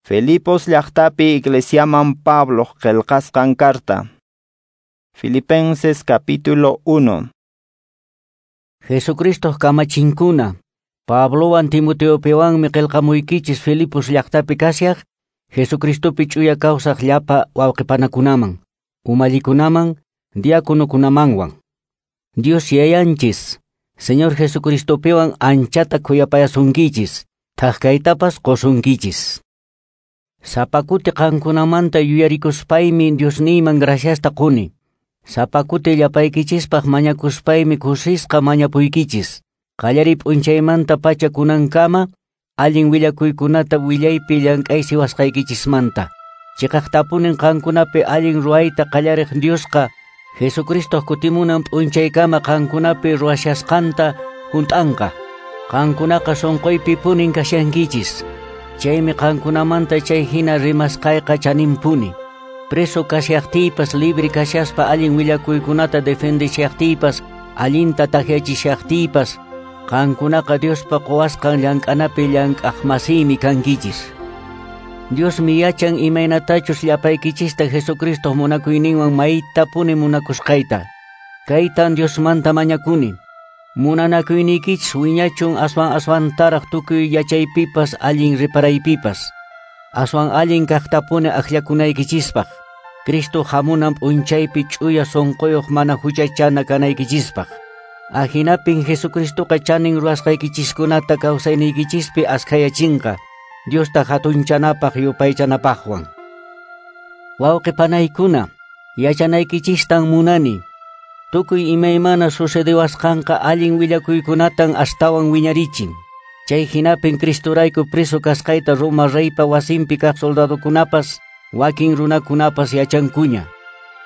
Filipos llaqtapi iglesiaman Pablo qillqasqan carta. Filipenses capítulo 1. Jesucristo kamachinkuna, Pablowan Timoteopiwanmi qillqamuykichis Filipos llaqtapi kashaq, Jesucristopi ch'uya kawsaq llapa wawqipanakunaman, umallikunaman, diáconokunamanwan. Dios yayanchis, Señor Jesucristopiwan anchata khuyapayasunkichis, thaq qusunkichis. Sapakuti qankunamanta yuyarikuspaymi Diosniyman graciasta quni. Sapakuti llapaykichispaq mañakuspaymi kusisqa mañapuykichis. Qallariy p'unchaymanta pacha kunankama allin willakuykunata willaypi llank'aysiwasqaykichismanta. Chiqaqtapunin qankunapi allin ruwayta qallariq Diosqa Jesucristo kutimunan p'unchaykama qankunapi ruwashasqanta hunt'anqa. Qankunaqa sunquypi punin kashankichis. Chaymi qankunamanta chay hina rimasqayqa chaninpuni. Preso kashaqtiypas libre kashaspa allin willakuykunata defendishaqtiypas allinta takyachishaqtiypas qankunaqa Diospa quwasqan llank'anapi llank'aqmasiymi kankichis. Diosmi yachan imaynatachus llapaykichista Jesucristo munakuyninwan maytapuni munakusqayta. Kaytan Diosmanta mañakuni. Munanakuynikichis wiñachun aswan aswantaraq tukuy yachaypipas allin riparaypipas. Aswan allin kaqtapuni akllakunaykichispaq. Cristo hamunan p'unchaypi ch'uya sunquyuq mana huchachana kanaykichispaq. Ahinapin Jesucristoqa chanin ruwasqaykichiskunata kawsayniykichispi askhayachinqa, Diosta hatunchanapaq yupaychanapaqwan. Wawqipanaykuna, yachanaykichistan munani. Tukuy imaymana sucedewasqanqa allin willakuykunatan astawan wiñarichin. Chay hinapin Cristorayku preso kasqayta Roma reypa wasinpi kaq soldadokunapas, wakin runakunapas yachankuña.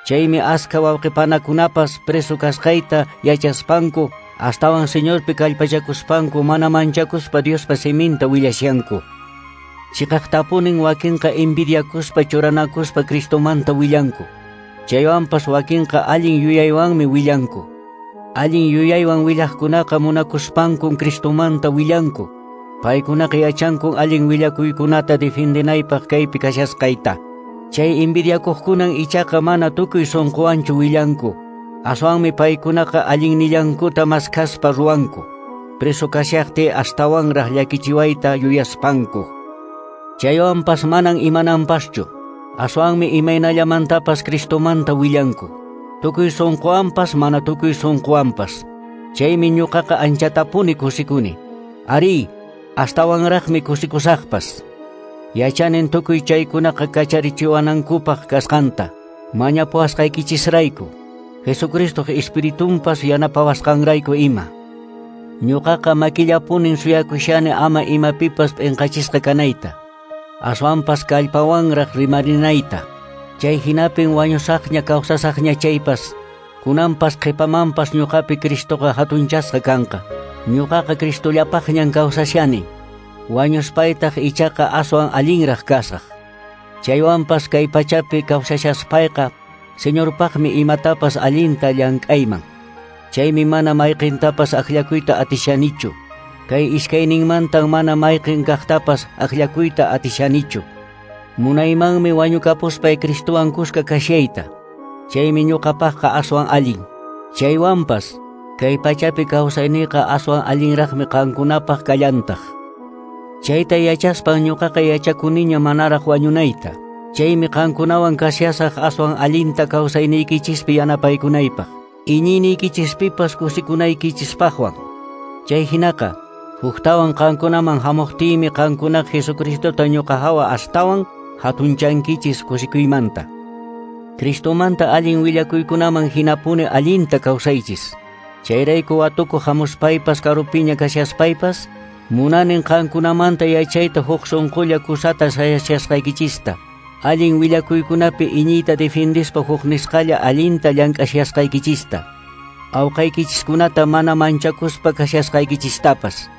Chaymi askha wawqipanakunapas preso kasqayta yachaspanku, astawan Señorpi kallpachakuspanku mana manchakuspa Diospa siminta willashanku. Chiqaqtapunin wakinqa envidiakuspa churanakuspa Cristomanta willanku. Chaywanpas wakinqa allin yuyaywanmi willanku. Allin yuyaywan willaqkunaqa munakuspankun Cristomanta willanku. Paykunaqa yachankun allin willakuykunata defendinaypaq kaypi kashasqayta. Chay envidiakuqkunan ichaqa mana tukuy sunquwanchu willanku. Aswanmi paykunaqa allinnillankuta maskhaspa ruwanku. Preso kashaqti astawanraq llakichiwayta yuyaspanku. Chaywanpas manan imananpaschu. Aswanmi imaynallamantapas Cristomanta willanku. Tukuy sunquwanpas mana tukuy sunquwanpas. Chaymi ñuqaqa anchatapuni kusikuni. Ari, astawanraqmi kusikusaqpas. Yachanin tukuy chaykunaqa kacharichiwanankupaq kasqanta. Mañapuwasqaykichisrayku. Jesucristoq Espiritunpas yanapawasqanrayku ima. Ñuqaqa makillapunin suyakushani ama imapipas p'inqachisqa kanayta. Aswanpas kallpawanraq rimarinayta. Chay hinapin wañusaqña kawsasaqña chaypas, kunanpas qhipamanpas ñuqapi Cristoqa hatunchasqa kanqa. Ñuqaqa Cristollapaqñan kawsashani. Wañuspaytaq ichaqa aswan allinraq kasaq. Chaywanpas kay pachapi kawsashaspayqa Señorpaqmi imatapas allinta llank'ayman. Chaymi mana mayqintapas akllakuyta atishanichu. Kay iskayninmantan mana mayqin kaqtapas akllakuyta atishanichu. Munaymanmi wañukapuspay Cristowan kuska kashayta. Chaymi ñuqapaqqa aswan allin. Chaywanpas kay pachapi kawsayniqa aswan allinraqmi qankunapaq kallantaq. Chayta yachaspan ñuqaqa yachakuniña manaraq wañunayta. Chaymi qankunawan kashasaq aswan allinta kawsayniykichispi yanapaykunaypaq. Iñiyniykichispipas kusikunaykichispaqwan. Chay hinaqa huktawan qankunaman hamuqtiymi qankunaqa Jesucristota ñuqa hawa astawan hatunchankichis kusikuymanta. Cristomanta allin willakuykunaman hinapuni allinta kawsaychis. Chayrayku watukuq hamuspaypas karupiña kashaspaypas munanin qankunamanta yachayta huk sunqulla kusata sayashasqaykichista. Allin willakuykunapi iñiyta defendispa huk nisqalla allinta llank'ashasqaykichista. Awqaykichiskunata mana manchakuspa kashasqaykichistapas.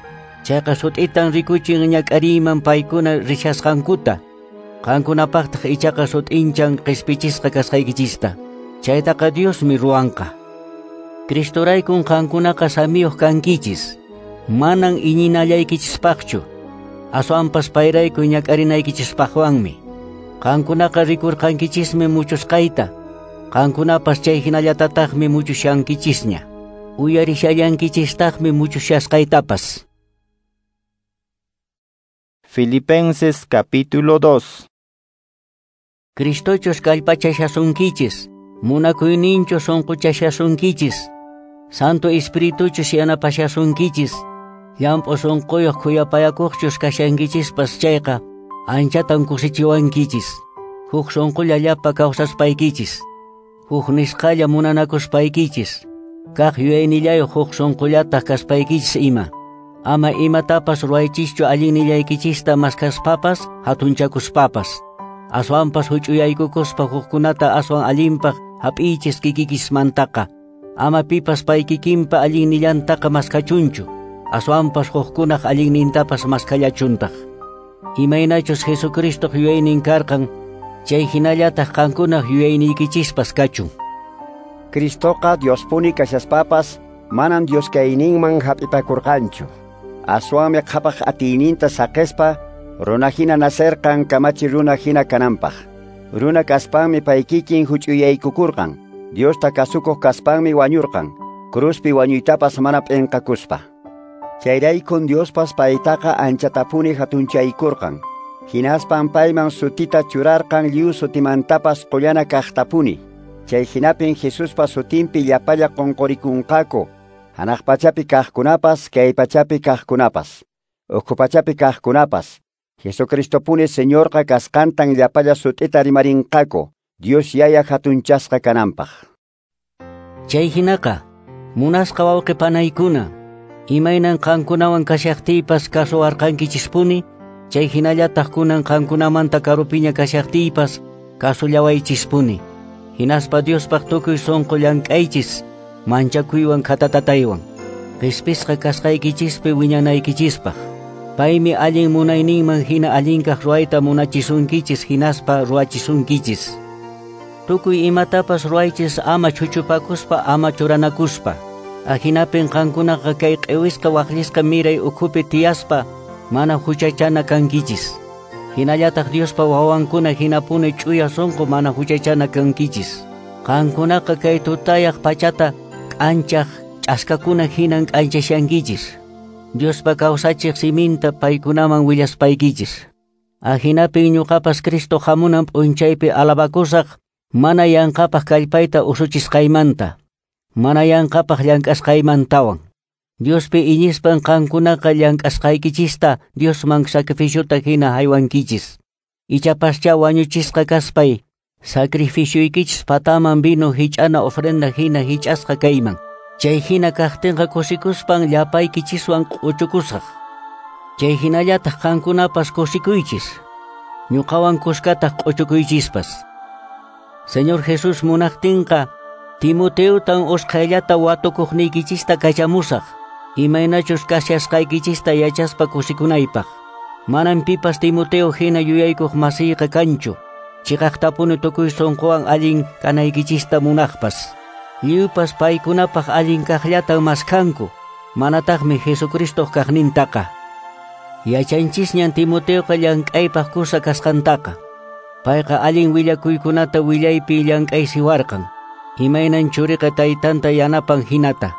Chayqa sut'itan rikuchin ñak'ariyman paykuna rishasqankuta. Qankunapaqtaq ichaqa sut'inchan qispichisqa kasqaykichista. Chaytaqa Diosmi ruwanqa. Cristoraykun qankunaqa samiyuq kankichis. Manan iñinallaykichispaqchu. Aswanpas payrayku ñak'arinaykichispaqwanmi. Qankunaqa rikurqankichismi muchusqayta. Qankunapas chay hinallatataqmi muchushankichisña. Uyarishallankichistaqmi muchushasqaytapas. Filipenses capítulo 2. Cristochus kallpachashasunkichis, munakuyninchu sunquchashasunkichis, Santo Espirituchus yanapashasunkichis, llamp'u sunquyuq khuyapayakuqchus kashankichispas chayqa, anchatan kusichiwankichis, huk sunqulla llapa kawsaspaykichis, huk nisqalla munanakuspaykichis, kaq yuyaynillayuq huk sunqullataq kaspaykichis ima. Ama imatapas ruwaychischu allinnillaykichista maskaspapas hatunchakuspapas. Aswanpas huch'uyaykukuspa hukkunata aswan allinpaq hap'iychis kikikismantaqa. Ama pipas paykikinpa allinnillantaqa maskachunchu. Aswanpas hukkunaq allinnintapas maskallachuntaq. Imaynachus Jesucristoq yuyaynin karqan, chay hinallataq qankunaq yuyayniykichispas kachun. Cristoqa Diospuni kashaspapas manan Dios kayninman hap'ipakurqanchu. Aswanmi qhapaq atiyninta saqespa runa hina nacerqan kamachi runa hina kananpaq. Runa kaspanmi paykikin huch'uyaykukurqan. Diosta kasukuq kaspanmi wañurqan. Cruzpi wañuytapas mana p'inqakuspa. Chayraykun Diospas paytaqa anchatapuni hatunchaykurqan. Hinaspan payman sutita churarqan lliw sutimantapas qullana kaqtapuni. Chay hinapin Jesuspa sutinpi llapalla qunqurikunqaku. Hanaq pachapi kaqkunapas, kay pachapi kaqkunapas, ukhu pachapi kaqkunapas. Jesucristopuni Señorqa kasqantan llapalla sut'ita rimarinqaku, Dios Yaya hatunchasqa kananpaq. Chay hinaqa, munasqa wawqi panaykuna, imaynan qankunawan kashaqtiypas kasuwarqankichispuni, chay hinallataq kunan qankunamanta karupiña kashaqtiypas kasullawaychispuni. Hinaspa Diospaq tukuy sunqu llank'aychis, manchakuywan khatatataywan, qhispisqa kasqaykichispi wiñanaykichispaq. Paymi allin munayninman hina allinkaq ruwayta munachisunkichis hinaspa ruwachisunkichis. Tukuy imatapas ruwaychis ama chuchupakuspa ama churanakuspa. Ahinapin qankunaqa kay q'iwisqa waqllisqa miray ukhupi tiyaspa mana huchachana kankichis. Hinallataq Diospa wawankuna hinapuni ch'uya sunqu mana huchachana kankichis. Qankunaqa kay tutayaq pachata k'anchaq ch'askakuna hinan k'anchashankichis. Diospa kawsachiq siminta paykunaman willaspaykichis. Ahinapin ñuqapas Cristo hamunan p'unchaypi alabakusaq mana yanqapaq kallpayta usuchisqaymanta, mana yanqapaq llank'asqaymantawan. Diospi iñispan qankunaqa llank'asqaykichista Diosman sacrificiota hina haywankichis. Ichapascha wañuchisqa kaspay, sacrificioykichis pataman vino hich'ana ofrenda hina hich'asqa kayman. Chay hina kaqtinqa kusikuspan llapaykichiswan q'uchukusaq. Chay hinallataq qankunapas kusikuychis, ñuqawan kuskataq q'uchukuychispas. Señor Jesús munaqtinqa Timoteotan usqhayllata watukuqniykichista kachamusaq, imaynachus kashasqaykichista yachaspa kusikunaypaq. Manan pipas Timoteo hina yuyaykuq masiyqa kanchu, chiqaqtapuni tukuy sunquwan allin kanaykichista munaqpas. Lliwpas paykunapaq allin kaqllatan maskanku, manataqmi Jesucristoq kaqnintaqa. Yachanchisñan Timoteoqa llank'aypaq kusa kasqantaqa. Payqa allin willakuykunata willaypi llank'aysiwarqan. Imaynan churiqa taytanta yanapan hinata.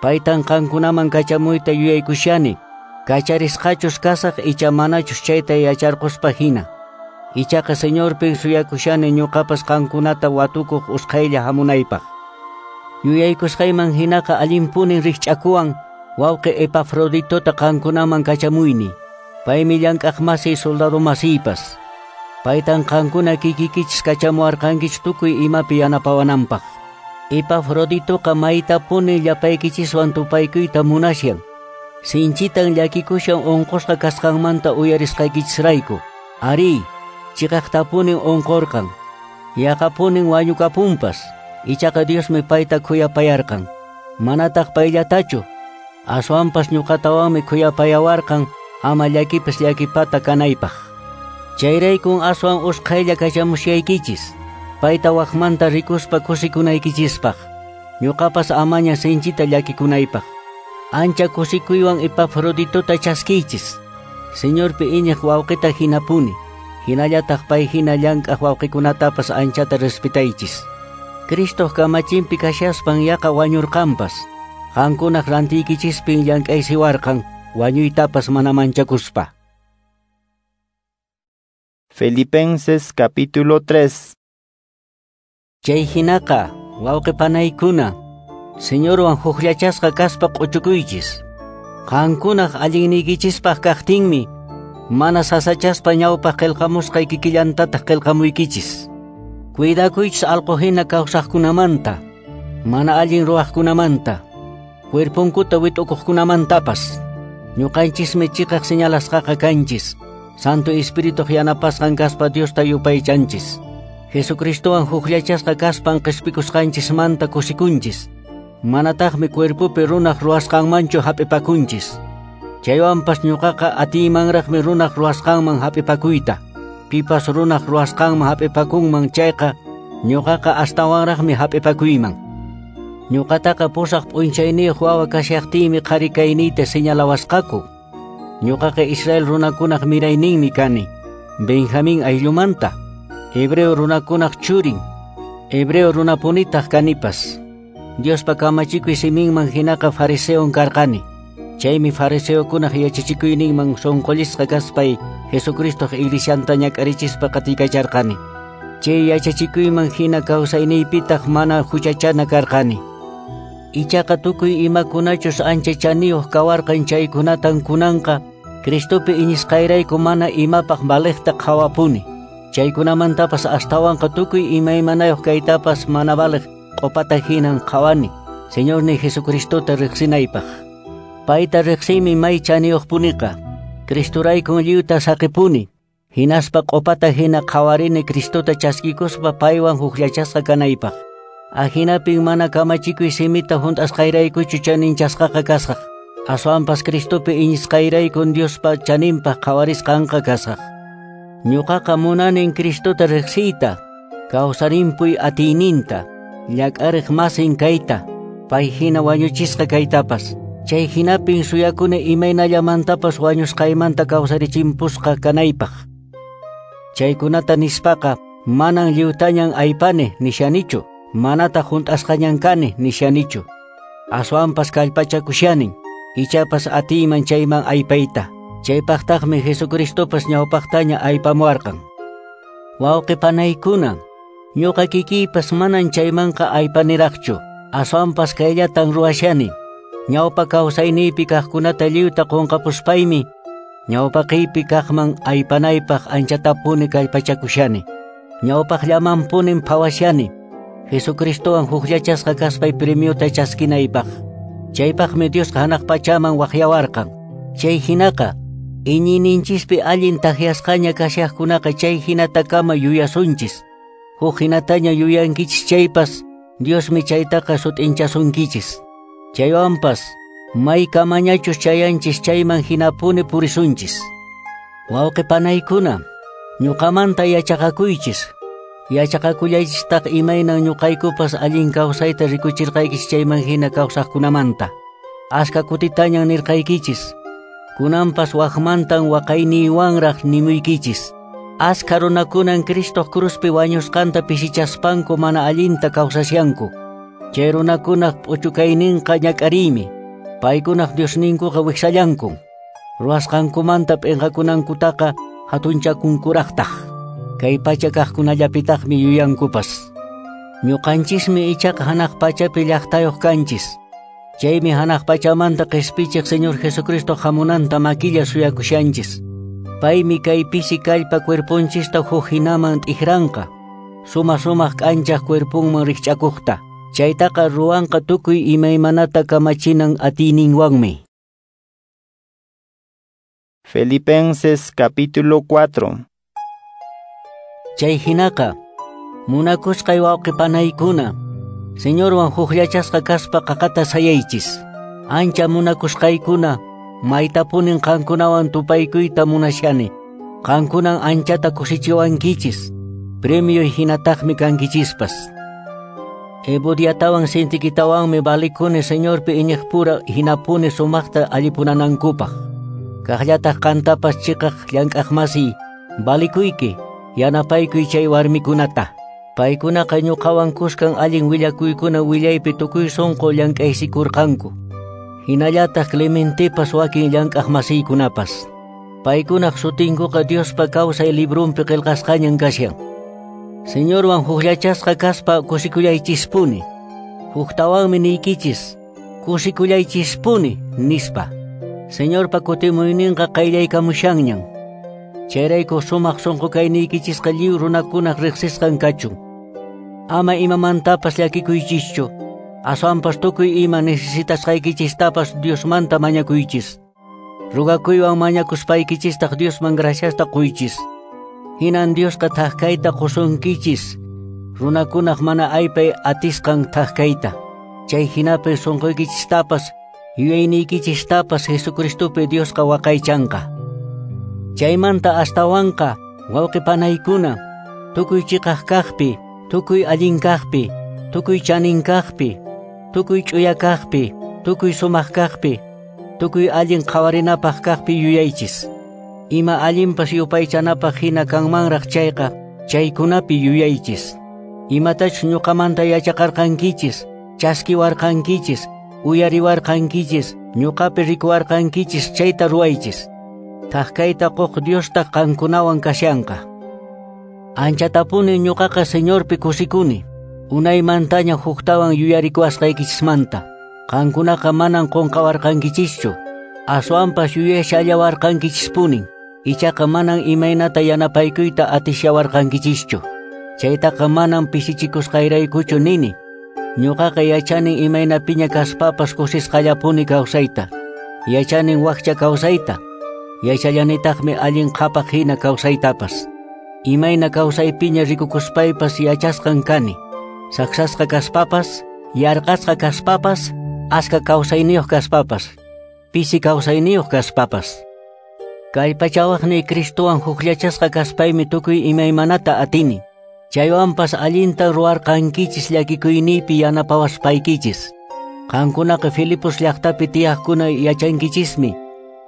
Paytan qankunaman kachamuyta yuyaykushani, kacharisqachus kasaq icha manachus chayta yacharquspa hina. Ichaqa Señorpin suyakushani ñuqapas qankunata watukuq usqhaylla hamunaypaq. Yuyaykusqayman hinaqa allinpunin rikch'akuwan wawqi Epafroditota qankunaman kachamuyni. Paymi llank'aq masiy soldado masiypas. Paytan qankuna kikikichis kachamuwarqankichis tukuy imapi yanapawananpaq. Epafroditoqa maytapuni llapaykichiswan tupaykuyta munashan. Sinchitan llakikushan unqusqa kasqanmanta uyarisqaykichisrayku. Ari, chiqaqtapunin unqurqan. Yaqapunin wañukapunpas. Ichaqa Diosmi payta khuyapayarqan. Manataq payllatachu, aswanpas ñuqatawanmi khuyapayawarqan ama llakipas llakipata kanaypaq. Chayraykun aswan usqhaylla kachamushaykichis, payta waqmanta rikuspa kusikunaykichispaq. Ñuqapas amaña sinchita llakikunaypaq. Ancha kusikuywan Epafroditota chaskiychis. Señorpi iñiq wawqita hinapuni, hinallataq pay hina llank'aq wawqikunatapas anchata respetaychis. Cristoq kamachinpi kashaspan yaqa wañurqanpas. Qankunaq rantiykichispin llank'aysiwarqan, wañuytapas mana manchakuspa. Filipenses capítulo 3. Chay hinaqa, wawqi panaykuna, Señorwan hukllachasqa kaspa q'uchukuychis. Qankunaq allinniykichispaq kaqtinmi, mana sasachaspa ñawpaq qillqamusqay kikillantataq qillqamuykichis. Cuidakuychis allqu hina kawsaqkunamanta, mana allin ruwaqkunamanta, cuerponkuta wit'ukuqkunamantapas. Ñuqanchismi chiqaq señalasqaqa kanchis. Santo Espíritu yanapasqan kaspa Diosta yupaychanchis. Jesucristowan hukllachasqa kaspan qispikusqanchismanta kusikunchis. Manataqmi cuerpopi runaq ruwasqanmanchu hap'ipakunchis. Chaywanpas ñuqaqa atiymanraqmi runaq ruwasqanman hap'ipakuyta. Pipas runaq ruwasqanman hap'ipakunman chayqa, ñuqaqa astawanraqmi hap'ipakuyman. Ñuqataqa pusaq p'unchayniyuq wawa kashaqtiymi qhari kayniyta señalawasqaku. Ñuqaqa Israel runakunaq mirayninmi kani, Benjamín ayllumanta, hebreo runakunaq churin, hebreo runapunitaq kanipas. Diospa kamachikuy siminman hinaqa fariseon karqani. Chaymi fariseokunaq yachachikuyninman sunqullisqa kaspay Jesucristoq iglesianta ñak'arichispa qatiykacharqani. Chay yachachikuyman hina kawsayniypitaq mana huchachana karqani. Ichaqa tukuy imakunachus ancha chaniyuq kawarqan chaykunatan kunanqa Cristopi iñisqayrayku mana imapaq valeqta qhawapuni. Chaykunamantapas astawanqa tukuy imaymanayuq kaytapas mana valeq q'upata hinan qhawani, Señorniy Jesucristota riqsinaypaq. Payta riqsiymi may chaniyuqpuniqa. Cristoraykun lliwta saqipuni. Hinaspa q'upata hina qhawarini Cristota chaskikuspa paywan hukllachasqa kanaypaq. Ahinapin mana kamachikuy simita hunt'asqayraykuchu chaninchasqaqa kasaq. Aswanpas Cristopi iñisqayraykun Diospa chaninpaq qhawarisqanqa kasaq. Ñuqaqa munanin Cristota riqsiyta, kawsarinpuy atiyninta, llak'ariq masin kayta, pay hina wañuchisqa kaytapas. Chay hinapin suyakuni imaynallamantapas wañusqaymanta kawsarichimpusqa kanaypaq. Chaykunata nispaqa manan lliwtañan aypani nishanichu, manataq hunt'asqañan kani nishanichu. Aswanpas kallpachakushanin, ichapas atiyman chayman aypayta. Chaypaqtaqmi Jesucristopas ñawpaqtaña aypamuwarqan. Wawqi panaykuna, ñuqa kikiypas manan chaymanqa aypaniraqchu. Aswanpas kayllatan ruwashani. Ñawpa kawsayniypi kaqkunata lliwta qunqapuspaymi, ñawpaqiypi kaqman aypanaypaq anchatapuni kallpachakushani. Ñawpaqllamanpunin phawashani, Jesucristowan hukllachasqa kaspay premiota chaskinaypaq. Chaypaqmi Diosqa hanaq pachaman waqyawarqan. Chay hinaqa, iñiyninchispi allin takyasqaña kashaqkunaqa chay hinatakama yuyasunchis. Huk hinataña yuyankichis chaypas, Diosmi chaytaqa sut'inchasunkichis. Chaywanpas, may kamañachus chayanchis chayman hinapuni purisunchis. Wawqi panaykuna, ñuqamanta yachaqakuychis. Yachaqakullaychistaq imaynan ñuqaykupas allin kawsayta rikuchirqaykichis chayman hina kawsaqkunamanta. Aska kutitañan nirqaykichis. Kunanpas waqmantan waqayniywanraq nimuykichis. Aska runakunan Cristoq cruzpi wañusqanta pisichaspanku mana allinta kawsashanku. Chay runakunaq p'uchukayninqa ñak'ariymi. Paykunaq Diosninkuqa wiksallankun. Ruwasqankumanta p'inqakunankutaqa hatunchakunkuraqtaq. Kay pacha kaqkunallapitaqmi yuyankupas. Ñuqanchismi ichaqa hanaq pachapi llaqtayuq kanchis. Chaymi hanaq pachamanta qispichiq Señor Jesucristo hamunanta makilla suyakushanchis. Paymi kay pisi kallpa cuerponchista huk hinaman t'ikranqa. Suma sumaq k'anchaq cuerponman rikch'akuqta. Chaytaqa ruwanqa tukuy imaymanata kamachinan atiyninwanmi. Filipenses capítulo 4. Chay hinaqa, munakusqay wawqi panaykuna, Señorwan hukllachasqa kaspa qaqata sayaychis. Ancha munakusqaykuna, maytapunin qankunawan tupaykuyta munashani. Qankunan anchata kusichiwankichis, premio hinataqmi kankichispas. Evodiatawan Sintiquitawanmi valikuni Señorpi iñiqpura hinapuni sumaqta allipunanankupaq. Kaqllataq qantapas chiqaq llank'aqmasiy, balikuyki, yanapaykuy chay warmikunata. Paykunaqa ñuqawan kuskan allin willakuykuna willaypi tukuy sunqu llank'aysikurqanku. Hinallataq Clementepas wakin llank'aqmasiykunapas. Paykunaq sutinkuqa Diospa kawsay librunpi qillqasqañan kashan. Señorwan hukllachasqa kaspa kusikullaychispuni. Huktawanmi niykichis, kusikullaychispuni, nispa. Señorpa kutimuyninqa qayllaykamushanñan. Chayrayku sumaq sunqu kayniykichisqa lliw runakunaq riqsisqan kachun. Ama imamantapas llakikuychischu. Aswanpas tukuy ima necesitasqaykichistapas Diosmanta mañakuychis. Rugakuywan mañakuspaykichistaq Diosman graciasta quychis. Hinan Diosqa thak-kayta qusunkichis. Runakunaq mana aypay atisqan thak-kayta. Chay hinapi sunquykichistapas yuyayniykichistapas Jesucristopi Diosqa waqaychanqa. Chaymanta astawanqa wawqipanaykuna, tukuy chiqaq kaqpi, tukuy allin kaqpi, tukuy chanin kaqpi, tukuy ch'uya kaqpi, tukuy sumaq kaqpi, tukuy allin qhawarinapaq kaqpi yuyaychis. Ima allinpas yupaychanapaq hina kanmanraq chayqa, chaykunapi yuyaychis. Imatachus ñuqamanta yachaqarqankichis, chaskiwarqankichis, uyariwarqankichis, ñuqapi rikuwarqankichis chayta ruwaychis. Thak-kayta quq Diostaq qankunawan kashanqa. Anchatapuni ñuqaqa Señorpi kusikuni. Unaymantaña huktawan yuyarikuwasqaykichismanta. Qankunaqa manan qunqawarqankichischu. Aswanpas yuyashallawarqankichispunin. Ichaqa manan imaynata yanapaykuyta atishawarqankichischu. Chaytaqa manan pisichikusqayraykuchu nini. Ñuqaqa yachanin imaynapiña kaspapas kusisqallapuni kawsayta. Yachanin wakcha kawsayta. Yachallanitaqmi allin qhapaq hina kawsaytapas. Imayna kawsaypiña rikukuspaypas yachasqan kani. Saksasqa kaspapas, yarqasqa kaspapas, aska kawsayniyuq kaspapas, pisi kawsayniyuq kaspapas. Kallpachawaqniy Cristowan hukllachasqa kaspaymi tukuy imaymanata atini. Chaywanpas allinta ruwarqankichis llakikuyniypi yanapawaspaykichis. Qankunaqa Filipos llaqtapi tiyaqkuna yachankichismi.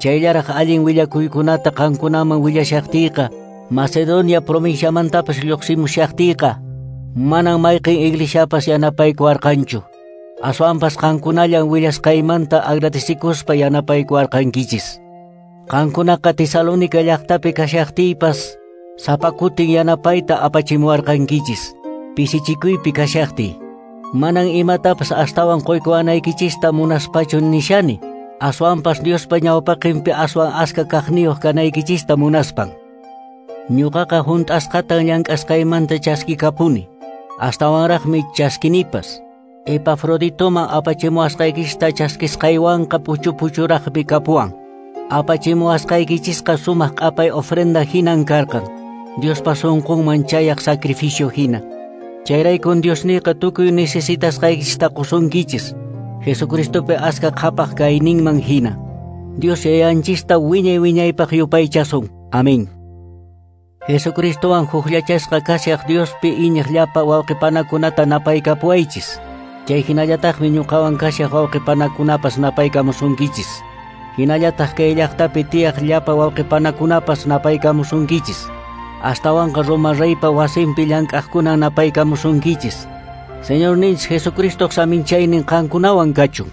Chayllaraq allin willakuykunata qankunaman willashaqtiyqa, Macedonia provinciamantapas lluqsimushaqtiyqa, manan mayqin iglesiapas yanapaykuwarqanchu. Aswanpas qankunallan willasqaymanta agradecikuspa yanapaykuwarqankichis. Qankunaqa Tesalónica llaqtapi kashaqtiypas, sapa kutin yanapayta apachimuwarqankichis. Pisichikuypi kashaqtiy. Manan imatapas astawan quykuwanaykichista munaspachu nishani. Aswanpas Diospa ñawpaqinpi aswan aska kaqniyuq kanaykichista munaspan. Ñuqaqa hunt'asqatan llank'asqaymanta chaskikapuni. Astawanraqmi chaskinipas. Epafroditoman apachimuwasqaykichista chaskisqaywanqa puchu-puchuraqmi kapuwan. Apachimuwasqaykichisqa sumaq q'apay ofrenda hinan karqan. Diospa sunqunman chayaq sacrificio hina. Chayraykun Diosniyqa tukuy necesitasqaykichista qusunkichis. Jesucristopi aska qhapaq kayninman hina. Dios Yayanchista wiñay wiñaypaq yupaychasun. Amén. Jesucristowan hukllachasqa kashaq Diospi iñiq llapa wawqipanakunata napaykapuwaychis. Chay hinallataqmi ñuqawan kashaq wawqipanakunapas napaykamusunkichis. Hinallataq kay llaqtapi tiyaq llapa wawqipanakunapas napaykamusunkichis. Astawanqa Roma reypa wasinpi llank'aqkuna napaykamusunkichis. Señorninchis Jesucristoq saminchaynin qankunawan kachun.